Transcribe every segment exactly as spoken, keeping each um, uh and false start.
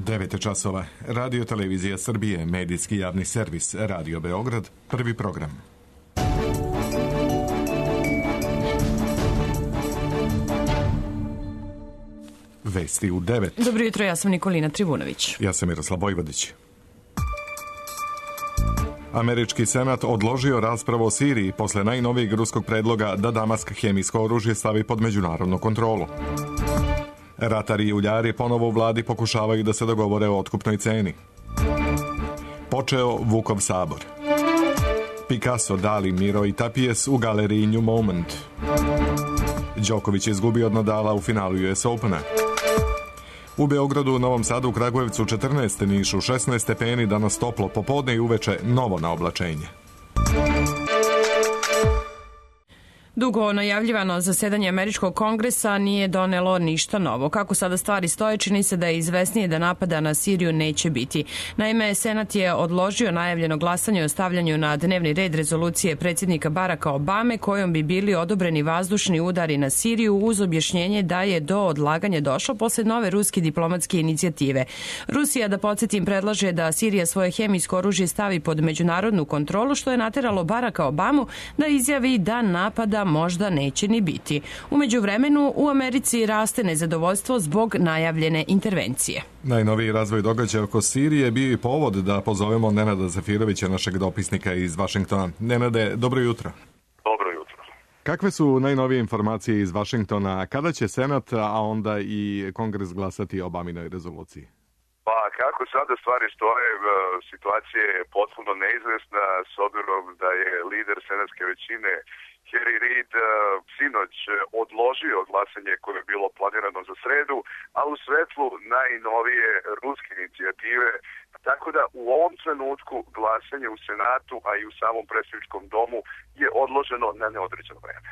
devet časova. Radio Televizija Srbije, medijski javni servis, Radio Beograd, prvi program. Vesti u devet. Dobro jutro, ja sam Nikolina Trivunović. Ja sam Miroslav Vojvodić. Američki senat odložio raspravu o Siriji posle najnovijeg ruskog predloga da Damask hemijsko oružje stavi pod međunarodnu kontrolu. Ratari i uljari ponovo u vladi pokušavaju da se dogovore o otkupnoj ceni. Počeo Vukov sabor. Picasso, Dali, Miro i Tapies u galeriji New Moment. Đoković izgubio od Nadala u finalu U S Opena. U Beogradu, Novom Sadu, Kragujevcu četrnaest, Nišu šesnaest stepeni, danas toplo, popodne i uveče novo naoblačenje. Dugo najavljivano zasedanje Američkog kongresa nije donelo ništa novo. Kako sada stvari stoje, čini se da je izvesnije da napada na Siriju neće biti. Naime, Senat je odložio najavljeno glasanje o stavljanju na dnevni red rezolucije predsjednika Baracka Obame kojom bi bili odobreni vazdušni udari na Siriju uz objašnjenje da je do odlaganja došlo posle nove ruske diplomatske inicijative. Rusija, da podsjetim, predlaže da Sirija svoje hemijsko oružje stavi pod međunarodnu kontrolu, što je nateralo Baracka Obamu da izjavi da napada možda neće ni biti. U međuvremenu u Americi raste nezadovoljstvo zbog najavljene intervencije. Najnoviji razvoj događaja oko Sirije bio i povod da pozovemo Nenada Zafirovića, našeg dopisnika iz Vašingtona. Nenade, dobro jutro. Dobro jutro. Kakve su najnovije informacije iz Vašingtona? Kada će Senat, a onda i Kongres glasati o Obaminoj rezoluciji? Pa kako sada stvari stoje, situacija je potpuno neizvesna s obzirom da je lider senatske većine Harry Reid sinoć odložio glasanje koje je bilo planirano za sredu, a u svetlu najnovije ruske inicijative, tako da u ovom trenutku glasanje u Senatu, a i u samom predsjedničkom domu je odloženo na neodređeno vreme.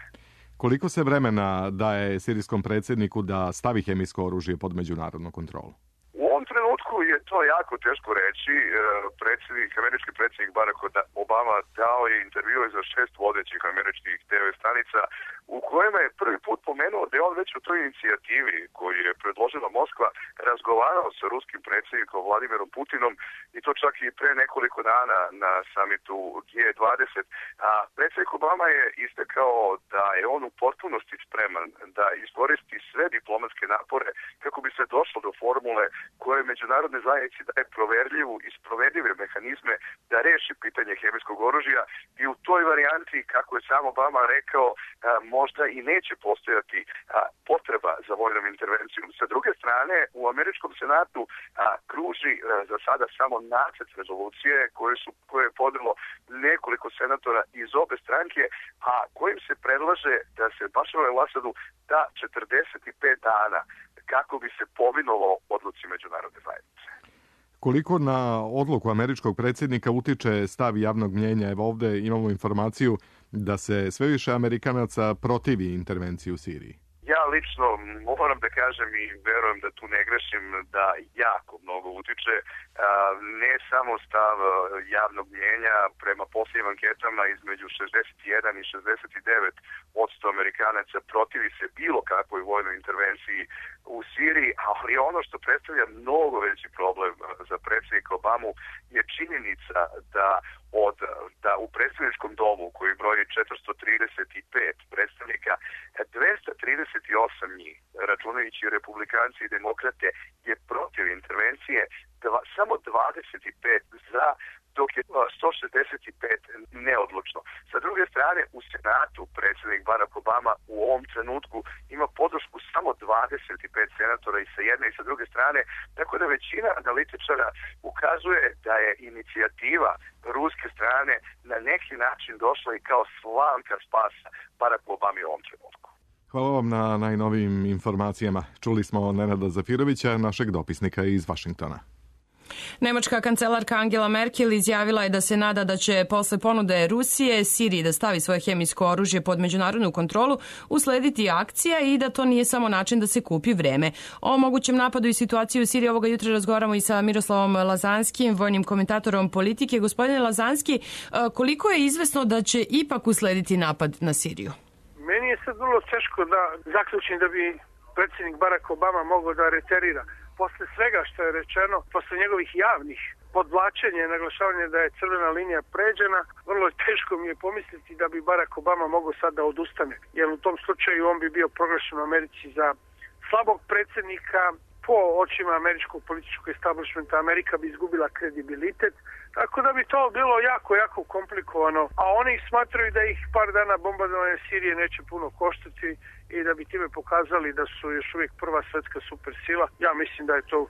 Koliko se vremena daje sirijskom predsjedniku da stavi hemijsko oružje pod međunarodnu kontrolu? U ovom trenutku je to jako teško reći. Predsjednik, američki predsjednik Barack Obama dao je intervju za šest vodećih američkih te ve stanica u kojima je prvi put pomenuo da je on već u toj inicijativi koju je predložila Moskva razgovarao sa ruskim predsjednikom Vladimirom Putinom i to čak i pre nekoliko dana na samitu G dvadeset. A predsjednik Obama je istakao da je on u potpunosti spreman da iskoristi sve diplomatske napore kako bi se došlo do formule koje međunarodne zajednici daje proverljivu i sprovedive mehanizme da reši pitanje hemijskog oružja i u toj varijanti, kako je sam Obama rekao, možda i neće postojati potreba za vojnom intervencijom. Sa druge strane, u američkom senatu kruži za sada samo nacrt rezolucije koje, su, koje je podnelo nekoliko senatora iz obe stranke, a kojim se predlaže da se Bašaru el-Asadu da četrdeset pet dana kako bi se povinovalo odluci međunarodne zajednice. Koliko na odluku američkog predsjednika utiče stav javnog mnjenja? Evo ovde imamo informaciju da se sve više Amerikanaca protivi intervenciji u Siriji. Ja lično moram da kažem i verujem da tu ne grešim da jako mnogo utiče. Ne samo stav javnog mnjenja, prema posljednjim anketama između šezdeset jedan i šezdeset devet posto Amerikanaca protivi se bilo kakvoj vojnoj intervenciji u Siriji, ali ono što predstavlja mnogo veći problem za predsjednika Obamu je činjenica da od da u predsjedničkom domu koji broji četiristo trideset pet predstavnika, dvesta trideset osam njih, računajući republikanci i demokrate, je protiv intervencije, dva, samo dvadeset pet za, dok je sto šezdeset pet neodlučno. Sa druge strane, u Senatu predsjednik Barack Obama u ovom trenutku ima podršku samo dvadeset pet senatora i sa jedne i sa druge strane, tako da većina analitičara ukazuje da je inicijativa ruske strane na neki način došla i kao slamka spasa Barack Obama u ovom trenutku. Hvala vam na najnovijim informacijama. Čuli smo Nenada Zafirovića, našeg dopisnika iz Vašingtona. Nemačka kancelarka Angela Merkel izjavila je da se nada da će posle ponude Rusije Siriji da stavi svoje hemijsko oružje pod međunarodnu kontrolu uslediti akcija i da to nije samo način da se kupi vreme. O mogućem napadu i situaciji u Siriji ovoga jutra razgovaramo i sa Miroslavom Lazanskim, vojnim komentatorom politike. Gospodine Lazanski, koliko je izvesno da će ipak uslediti napad na Siriju? Meni je sad vrlo teško da zaključim da bi predsjednik Barack Obama mogao da reterira. posle svega što je rečeno, posle njegovih javnih podvlačenja i naglašavanja da je crvena linija pređena, vrlo je teško mi je pomisliti da bi Barack Obama mogao sad da odustane. Jer u tom slučaju on bi bio proglašen u Americi za slabog predsjednika, po očima američkog političkog establishmenta Amerika bi izgubila kredibilitet, tako da bi to bilo jako, jako komplikovano. A oni smatraju da ih par dana bombardovanja Sirije neće puno koštati i da bi time pokazali da su još uvijek prva svjetska supersila. Ja mislim da je to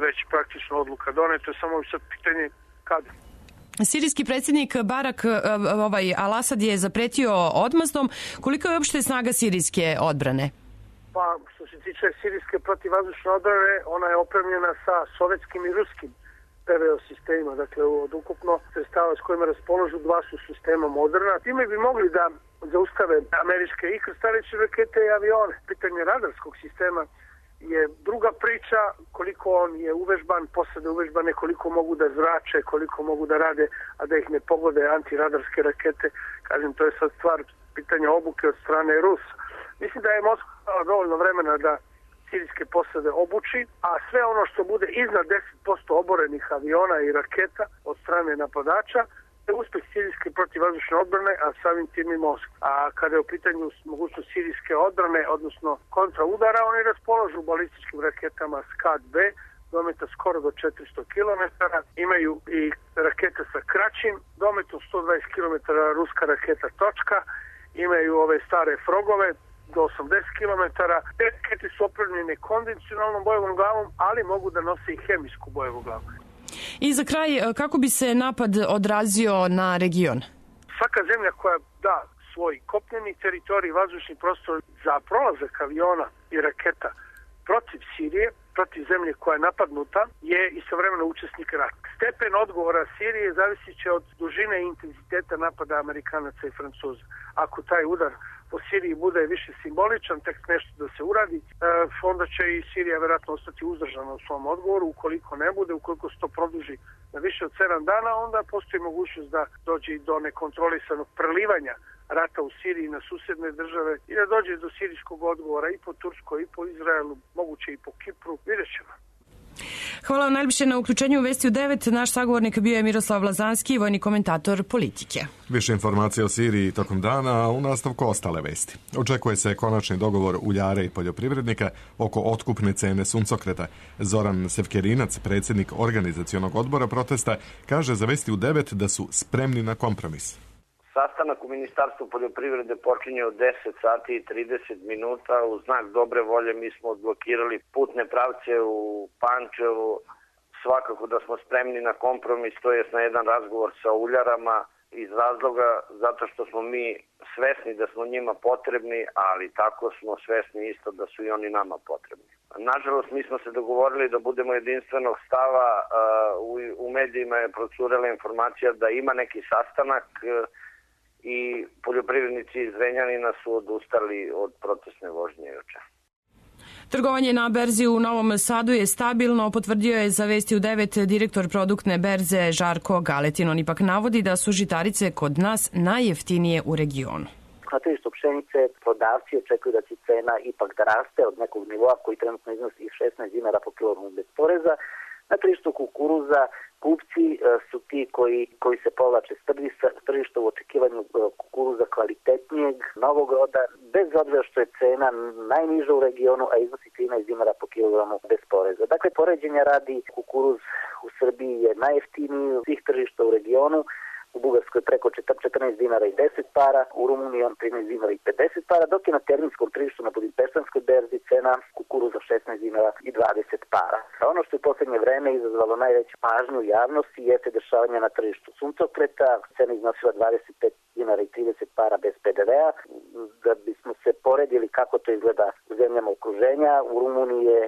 već praktično odluka doneta, samo je sad pitanje kada. Sirijski predsjednik Barak ovaj, Al-Asad je zapretio odmazdom. Koliko je uopšte snaga sirijske odbrane? Pa, što se tiče sirijske protivvazdušne odbrane, ona je opremljena sa sovjetskim i ruskim P V O sistemima. Dakle, od ukupno sredstava s kojima raspoložu dva su sistema moderna. Time bi mogli da zaustave američke i krstareće rakete i avione. Pitanje radarskog sistema je druga priča, koliko on je uvežban, posade uvežbane, koliko mogu da zrače, koliko mogu da rade, a da ih ne pogode antiradarske rakete. Kažem, to je sad stvar pitanja obuke od strane Rusa. Mislim da je Moskva dovoljno vremena da sirijske posade obuči, a sve ono što bude iznad deset posto oborenih aviona i raketa od strane napadača je uspjeh sirijske protivvazdušne odbrane, a samim tim i Moskva. A kada je u pitanju mogućnost sirijske odbrane, odnosno kontraudara, oni raspoložu balističkim raketama Scad B, dometa skoro do četiristo kilometara, imaju i rakete sa kraćim dometom sto dvadeset kilometara, ruska raketa Točka, imaju ove stare frogove do osamdeset kilometara. Te rakete su opremljene konvencionalnom bojevom glavom, ali mogu da nose i hemijsku bojevu glavu. I za kraj, kako bi se napad odrazio na region? Svaka zemlja koja da svoj kopneni teritorij, vazdušni prostor za prolazak aviona i raketa protiv Sirije, protiv zemlje koja je napadnuta, je istovremeno učesnik rata. Stepen odgovora Sirije zavisit će od dužine i intenziteta napada Amerikanaca i Francuza. Ako taj udar po Siriji bude više simboličan, tek nešto da se uradi, onda će i Sirija vjerojatno ostati uzdržana u svom odgovoru. Ukoliko ne bude, ukoliko se to produži na više od sedam dana, onda postoji mogućnost da dođe do nekontrolisanog prelivanja rata u Siriji na susjedne države i da dođe do sirijskog odgovora i po Turskoj, i po Izraelu, moguće i po Kipru. Vidjet ćemo. Hvala vam najljepše na uključenju u Vesti u devet. Naš sagovornik bio je Miroslav Lazanski, vojni komentator politike. Više informacija o Siriji tokom dana, a u nastavku ostale vesti. Očekuje se konačni dogovor uljare i poljoprivrednika oko otkupne cene suncokreta. Zoran Sevkerinac, predsjednik organizacionog odbora protesta, kaže za Vesti u devet da su spremni na kompromis. Sastanak u Ministarstvu poljoprivrede počinje od deset sati i trideset minuta. U znak dobre volje mi smo odblokirali putne pravce u Pančevu. Svakako da smo spremni na kompromis, to jest na jedan razgovor sa uljarama iz razloga zato što smo mi svesni da smo njima potrebni, ali tako smo svesni isto da su i oni nama potrebni. Nažalost, mi smo se dogovorili da budemo jedinstvenog stava. U medijima je procurela informacija da ima neki sastanak i poljoprivrednici iz Zrenjanina su odustali od protestne vožnje juče. Trgovanje na berzi u Novom Sadu je stabilno, potvrdio je za Vesti u devet direktor produktne berze Žarko Galetin. On ipak navodi da su žitarice kod nas najjeftinije u regionu. Na tržištu pšenice prodavci očekuju da će cena ipak da raste od nekog nivoa koji trenutno iznosi šesnaest dinara po kilogramu bez poreza. Na tržištu kukuruza kupci su ti koji, koji se povlače s tržišta u očekivanju kukuruza kvalitetnijeg, novog roda, bez obzira što je cena najniža u regionu, a iznosi trinaest dinara po kilogramu bez poreza. Dakle, poređenja radi, kukuruz u Srbiji je najjeftiniji od svih tržišta u regionu, u Bugarskoj preko četrnaest dinara i deset para, u Rumuniji on trinaest dinara i pedeset para, dok je na terminskom tržištu na Budimpeštanskoj berzi cena kukuruza šesnaest dinara i dvadeset para. A ono što je u posljednje vreme izazvalo najveću pažnju u javnosti jeste dešavanje na tržištu suncokreta. Cena iznosila dvadeset pet dinara i trideset para bez P D V-a. Da bismo se poredili kako to izgleda u zemljama okruženja, u Rumuniji je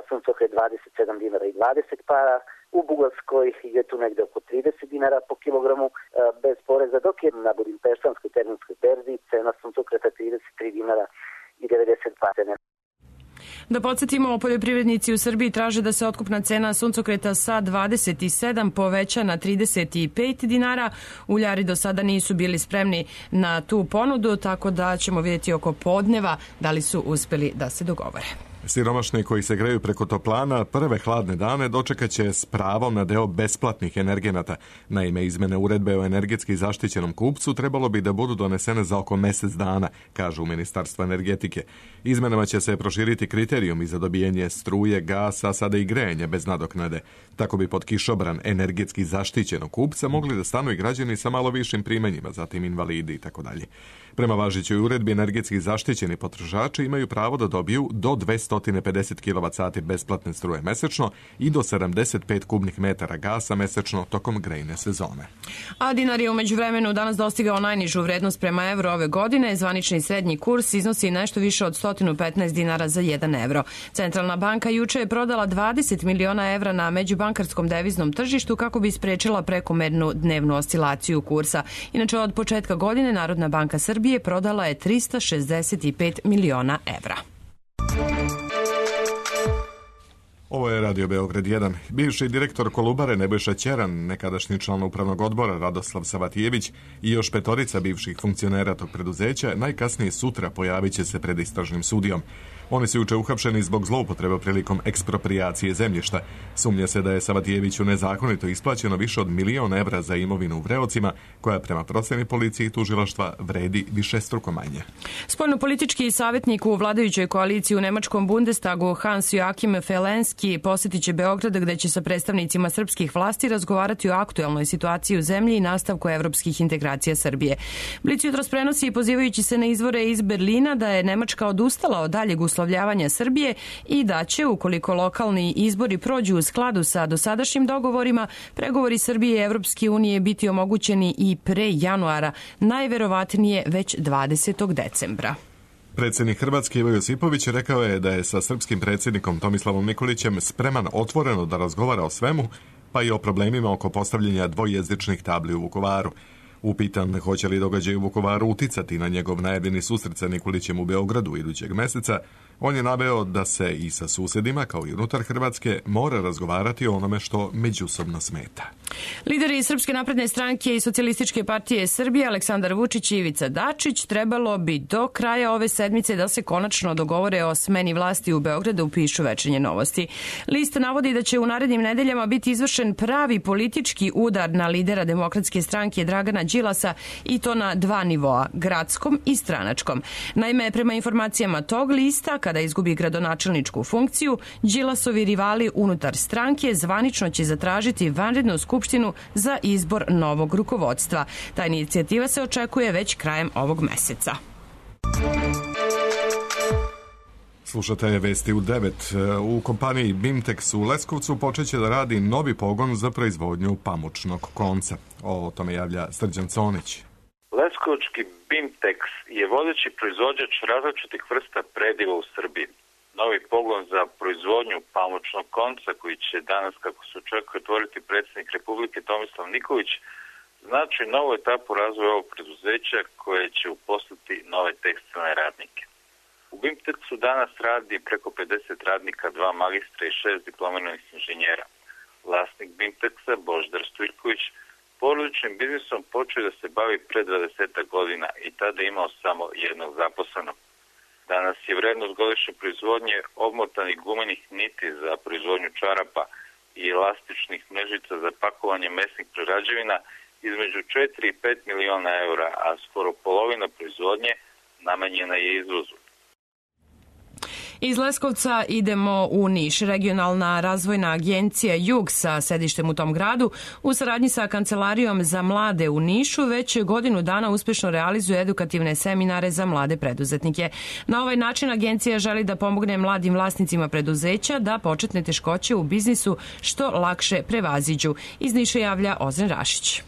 suncokret dvadeset sedam dinara i dvadeset para, u Bugarskoj je tu negde oko trideset dinara po kilogramu bez poreza, dok je na Budimpeštanskoj terminskoj berzi cena suncokreta trideset tri dinara i devedeset dva cene. Da podsjetimo, poljoprivrednici u Srbiji traže da se otkupna cena suncokreta sa dvadeset sedam poveća na trideset pet dinara. Uljari do sada nisu bili spremni na tu ponudu, tako da ćemo vidjeti oko podneva da li su uspeli da se dogovore. Siromašni koji se greju preko toplana prve hladne dane dočekat će s pravom na deo besplatnih energenata. Naime, izmene uredbe o energetski zaštićenom kupcu trebalo bi da budu donesene za oko mjesec dana, kažu u Ministarstvu energetike. Izmenama će se proširiti kriterijumi za dobijanje struje, gasa, a sada i grejanja bez nadoknade. Tako bi pod kišobran energetski zaštićenog kupca mogli da stanu i građani sa malo višim primanjima, zatim invalidi i tako dalje. Prema važećoj uredbi, energetski zaštićeni potrošači imaju pravo da dobiju do dvesta pedeset kilovat sati besplatne struje mesečno i do sedamdeset pet kubnih metara gasa mesečno tokom grejne sezone. A dinar je umeđu vremenu danas dostigao najnižu vrednost prema evru ove godine. Zvanični srednji kurs iznosi nešto više od sto petnaest dinara za jedan evro. Centralna banka juče je prodala dvadeset miliona evra na međubankarskom deviznom tržištu kako bi sprečila prekomernu dnevnu oscilaciju kursa. Inače, od početka godine Narodna banka Srbije prodala je trista šezdeset pet miliona evra. Ovo je Radio Beograd jedan. Bivši direktor Kolubare Nebojša Ćeran, nekadašnji član upravnog odbora Radoslav Savatijević i još petorica bivših funkcionera tog preduzeća najkasnije sutra pojavit će se pred istražnim sudijom. Oni su juče uhapšeni zbog zloupotrebe prilikom eksproprijacije zemljišta. Sumnja se da je Savatijeviću nezakonito isplaćeno više od milion evra za imovinu u Vreocima, koja prema proceni policije i tužilaštva vredi višestruko manje. Spoljnopolitički savjetnik u vladajućoj koaliciji u Nemačkom Bundestagu Hans Joachim Felenski posjetit će Beograd, gde će sa predstavnicima srpskih vlasti razgovarati o aktuelnoj situaciji u zemlji i nastavku evropskih integracija Srbije. Blic jutros prenosi, pozivajući se na izvore iz Berlina, da je Nemačka odustala od daljeg uslovljavanja Srbije i da će, ukoliko lokalni izbori prođu u skladu sa dosadašnjim dogovorima, pregovori Srbije i Evropske unije biti omogućeni i pre januara, najverovatnije već dvadesetog decembra. Predsjednik Hrvatske Ivo Josipović rekao je da je sa srpskim predsjednikom Tomislavom Nikolićem spreman otvoreno da razgovara o svemu, pa i o problemima oko postavljanja dvojezičnih tabli u Vukovaru. Upitan hoće li događaj u Vukovaru uticati na njegov najavljeni susret sa Nikolićem u Beogradu idućeg meseca, on je naveo da se i sa susjedima, kao i unutar Hrvatske, mora razgovarati o onome što međusobno smeta. Lideri Srpske napredne stranke i Socijalističke partije Srbije Aleksandar Vučić i Ivica Dačić trebalo bi do kraja ove sedmice da se konačno dogovore o smeni vlasti u Beogradu, pišu Večernje novosti. List navodi da će u narednim nedeljama biti izvršen pravi politički udar na lidera Demokratske stranke Dragana Đilasa, i to na dva nivoa, gradskom i stranačkom. Naime, prema informacijama tog lista, kada izgubi gradonačelničku funkciju, Đilasovi rivali unutar stranke zvanično će zatražiti vanrednu skupštinu za izbor novog rukovodstva. Ta inicijativa se očekuje već krajem ovog meseca. Slušate vesti u devet. U kompaniji Bimtex u Leskovcu počeće da radi novi pogon za proizvodnju pamučnog konca. O tome javlja Srđan Conić. Leskovčki Bimtex je vodeći proizvođač različitih vrsta prediva u Srbiji. Novi pogon za proizvodnju pamučnog konca, koji će danas, kako se očekuje, otvoriti predsjednik Republike Tomislav Nikolić, znači novu etapu razvoja ovog preduzeća koje će uposliti nove tekstilne radnike. U Bimtexu danas radi preko pedeset radnika, dva magistra i šest diplomiranih inženjera. Vlasnik Bimtexa, Božidar Stojković, porodičnim biznisom počeo da se bavi pre dvadeset godina i tada imao samo jednog zaposlenog. Danas je vrednost godišnje proizvodnje obmotanih gumenih niti za proizvodnju čarapa i elastičnih mrežica za pakovanje mesnih prerađevina između četiri i pet miliona eura, a skoro polovina proizvodnje namenjena je izvozu. Iz Leskovca idemo u Niš. Regionalna razvojna agencija Jug sa sedištem u tom gradu u saradnji sa Kancelarijom za mlade u Nišu već godinu dana uspešno realizuje edukativne seminare za mlade preduzetnike. Na ovaj način agencija želi da pomogne mladim vlasnicima preduzeća da početne teškoće u biznisu što lakše prevaziđu. Iz Niša javlja Ozren Rašić.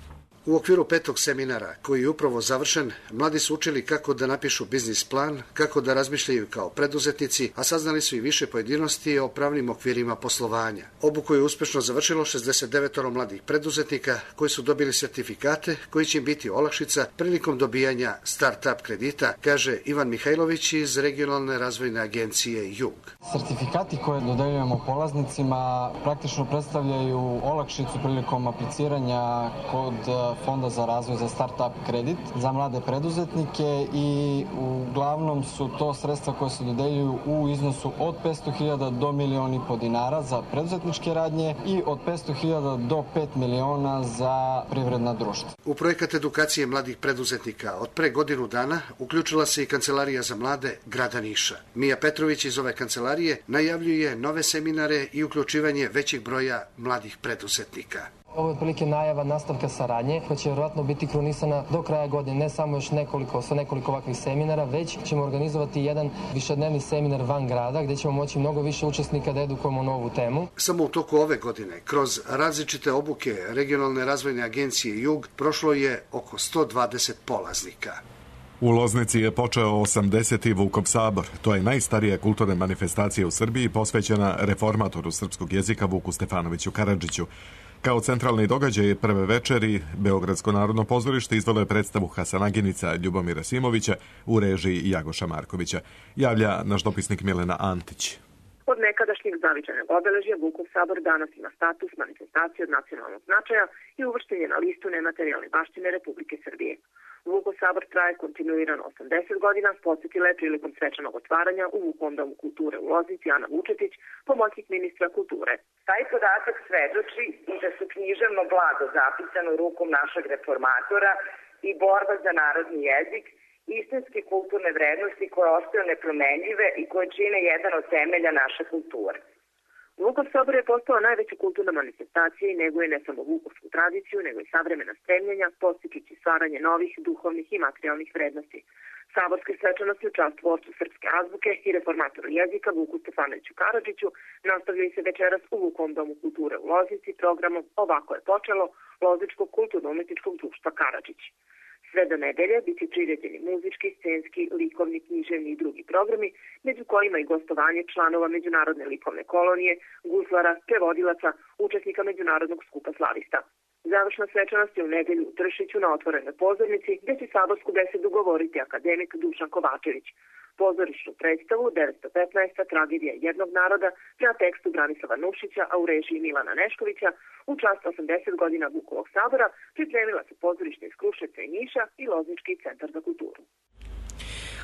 U okviru petog seminara, koji je upravo završen, mladi su učili kako da napišu biznis plan, kako da razmišljaju kao preduzetnici, a saznali su i više pojedinosti o pravnim okvirima poslovanja. Obuku je uspešno završilo šezdeset devet mladih preduzetnika koji su dobili sertifikate koji će im biti olakšica prilikom dobijanja start-up kredita, kaže Ivan Mihajlović iz Regionalne razvojne agencije Jug. Sertifikati koje dodeljujemo polaznicima praktično predstavljaju olakšicu prilikom apliciranja kod Fonda za razvoj za start-up kredit za mlade preduzetnike i uglavnom su to sredstva koje se dodeljuju u iznosu od petsto hiljada do milion i po dinara za preduzetničke radnje i od petsto hiljada do pet miliona za privredna društva. U projekat edukacije mladih preduzetnika od pre godinu dana uključila se i Kancelarija za mlade grada Niša. Mija Petrović iz ove kancelarije najavljuje nove seminare i uključivanje većeg broja mladih preduzetnika. Ovo je otprilike najava nastavka saradnje koja će vjerojatno biti krunisana do kraja godine, ne samo još nekoliko, sa nekoliko ovakvih seminara, već ćemo organizovati jedan višednevni seminar van grada gdje ćemo moći mnogo više učesnika da edukujemo novu temu. Samo u toku ove godine, kroz različite obuke Regionalne razvojne agencije Jug, prošlo je oko sto dvadeset polaznika. U Loznici je počeo osamdeseti Vukov sabor. To je najstarija kulturna manifestacija u Srbiji posvećena reformatoru srpskog jezika Vuku Stefanoviću Karadžiću. Kao centralni događaj prve večeri, Beogradsko narodno pozorište izvelo je predstavu Hasanaginica Ljubomira Simovića u režiji Jagoša Markovića. Javlja naš dopisnik Milena Antić. Od nekadašnjeg zavičajnog obeležja Vukov sabor danas ima status manifestacije od nacionalnog značaja i uvršten je na listu nematerijalne baštine Republike Srbije. Vukov sabor traje kontinuirano osamdeset godina, podsjetila je prilikom svečanog otvaranja u Vukovom domu kulture u Loznici Ana Vučetić, pomoćnik ministra kulture. Taj podatak svedoči i da su književno blago zapisano rukom našeg reformatora i borba za narodni jezik, istinske kulturne vrednosti koje ostaju nepromenljive i koje čine jedan od temelja naše kulture. Vukov sabor je postao najveća kulturna manifestacija i neguje ne samo vukovsku tradiciju, nego i savremena stremljenja, postičući stvaranje novih duhovnih i materijalnih vrednosti. Saborske svečanosti u čast tvorcu srpske azbuke i reformatoru jezika Vuku Stefanoviću Karadžiću nastavljaju se večeras u Vukovom domu kulture u Loznici programom Ovako je počelo Lozničkog kulturno-umetničkog društva Karadžić. Sve do nedelje bit će priređeni muzički, scenski, likovni, književni i drugi programi, među kojima i gostovanje članova Međunarodne likovne kolonije, guslara, prevodilaca, učesnika Međunarodnog skupa slavista. Završna svečanost je u nedelju u Tršiću na otvorenoj pozornici, gdje će saborsku besedu govoriti akademik Dušan Kovačević. Pozorišnu predstavu devetsto petnaesta tragedija jednog naroda prema tekstu Branislava Nušića, a u režiji Milana Neškovića, u čast osamdeset godina Vukovog sabora pripremila se pozorište iz Kruševca i Niša i Loznički centar za kulturu.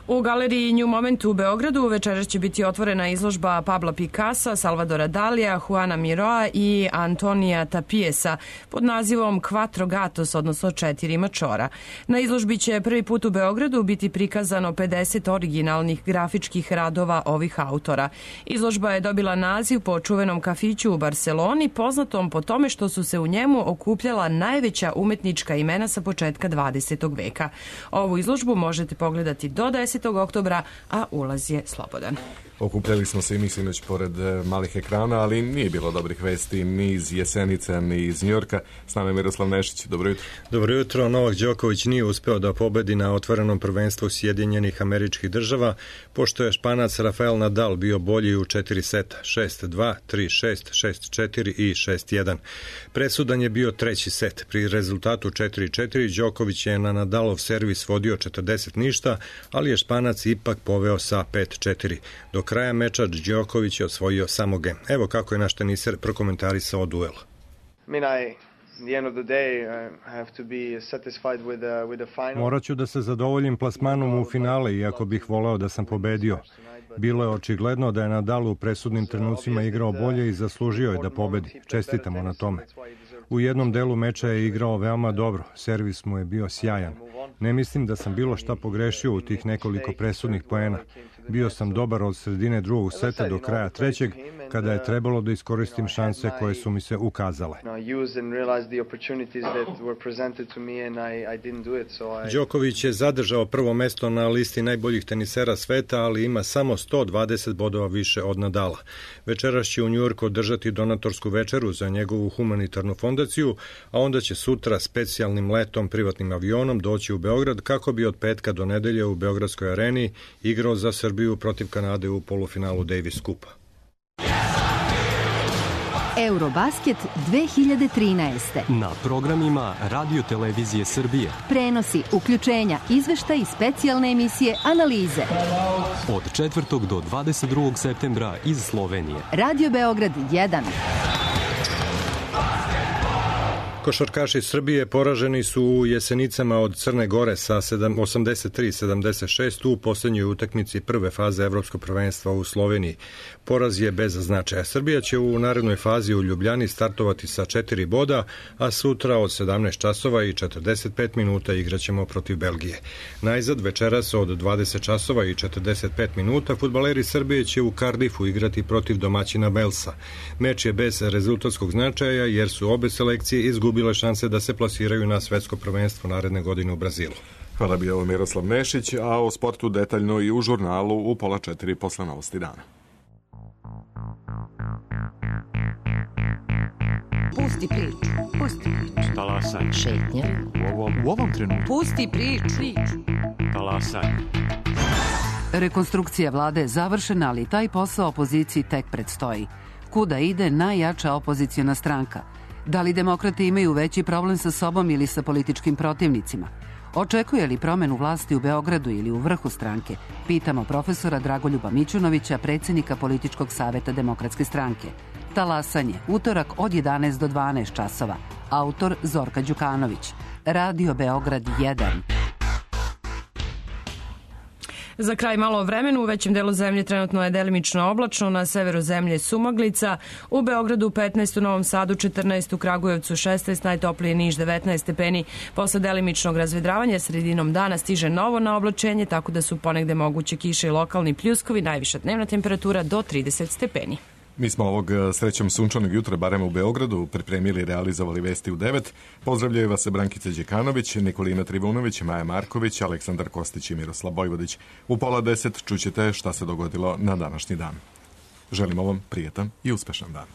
U galeriji New Moment u Beogradu večeras će biti otvorena izložba Pabla Picassa, Salvadora Dalija, Juana Miroa i Antonija Tapiesa pod nazivom Quattro Gatos, odnosno četiri mačora. Na izložbi će prvi put u Beogradu biti prikazano pedeset originalnih grafičkih radova ovih autora. Izložba je dobila naziv po čuvenom kafiću u Barseloni, poznatom po tome što su se u njemu okupljala najveća umetnička imena sa početka dvadesetog veka. Ovu izložbu možete pogledati do desetog oktobra, a ulaz je slobodan. Okupljali smo se i mi sinoć pored malih ekrana, ali nije bilo dobrih vesti ni iz Jesenica, ni iz Njujorka. S nama je Miroslav Nešić. Dobro jutro. Dobro jutro. Novak Đoković nije uspeo da pobedi na otvorenom prvenstvu Sjedinjenih Američkih Država, pošto je Španac Rafael Nadal bio bolji u četiri seta, šest dva, tri šest, šest četiri i šest jedan. Presudan je bio treći set. Pri rezultatu četiri četiri Đoković je na Nadalov servis vodio četrdeset ništa, ali je Španac ipak poveo sa pet četiri. Do kraja meča Đoković je osvojio samo gem. Evo kako je naš teniser prokomentarisao duel. Morat ću da se zadovoljim plasmanom u finale, iako bih voleo da sam pobedio. Bilo je očigledno da je Nadal u presudnim trenucima igrao bolje i zaslužio je da pobedi. Čestitamo na tome. U jednom delu meča je igrao veoma dobro, servis mu je bio sjajan. Ne mislim da sam bilo šta pogrešio u tih nekoliko presudnih poena. Bio sam dobar od sredine drugog seta do kraja trećeg, kada je trebalo da iskoristim šanse koje su mi se ukazale. Đoković je zadržao prvo mesto na listi najboljih tenisera sveta, ali ima samo sto dvadeset bodova više od Nadala. Večeras će u Njujorku održati donatorsku večeru za njegovu humanitarnu fondaciju, a onda će sutra specijalnim letom privatnim avionom doći u Beograd kako bi od petka do nedelje u Beogradskoj areni igrao za Srbiju protiv Kanade u polufinalu Davis Kupa. Eurobasket dve hiljade trinaeste. Na programima Radio Televizije Srbije. Prenosi, uključenja, izveštaj i specijalne emisije, analize. Od četvrtog do dvadeset drugog septembra iz Slovenije. Radio Beograd jedan. Košarkaši Srbije poraženi su u Jesenicama od Crne Gore sa osamdeset tri sedamdeset šest u poslednjoj utakmici prve faze Evropskog prvenstva u Sloveniji. Poraz je bez značaja. Srbija će u narednoj fazi u Ljubljani startovati sa četiri boda, a sutra od sedamnaest časova i četrdeset pet minuta igraćemo protiv Belgije. Najzad večeras od dvadeset časova i četrdeset pet minuta fudbaleri Srbije će u Kardifu igrati protiv domaćina Velsa. Meč je bez rezultatskog značaja jer su obe selekcije izgubile šanse da se plasiraju na svetsko prvenstvo naredne godine u Brazilu. Hvala bio Miroslav Nešić, a o sportu detaljno i u žurnalu u pola četiri posle novosti dana. Pusti priču, pusti priču. Talasaj. Šetnja. U ovom, u ovom trenutku. Pusti priču. Talasaj. Rekonstrukcija vlade je završena, ali taj posao opoziciji tek predstoji. Kuda ide najjača opozicijona stranka? Da li demokrate imaju veći problem sa sobom ili sa političkim protivnicima? Očekuje li promenu vlasti u Beogradu ili u vrhu stranke? Pitamo profesora Dragoljuba Mićunovića, predsjednika Političkog saveta Demokratske stranke. Talasanje, utorak od jedanaest do dvanaest časova. Autor Zorka Đukanović. Radio Beograd jedan. Za kraj malo o vremenu, u većem delu zemlje trenutno je delimično oblačno, na severu zemlje sumaglica, u Beogradu petnaest, u Novom Sadu četrnaest, u Kragujevcu šesnaest, najtoplije Niš devetnaest stepeni. Posle delimičnog razvedravanja sredinom dana stiže novo na oblačenje, tako da su ponegde moguće kiše i lokalni pljuskovi, najviša dnevna temperatura do trideset stepeni. Mi smo ovog srećom sunčanog jutra, barem u Beogradu, pripremili i realizovali vesti u devet. Pozdravljaju vas Brankica Đekanović, Nikolina Trivunović, Maja Marković, Aleksandar Kostić i Miroslav Bojvodić. U pola deset čućete šta se dogodilo na današnji dan. Želimo vam prijetan i uspešan dan.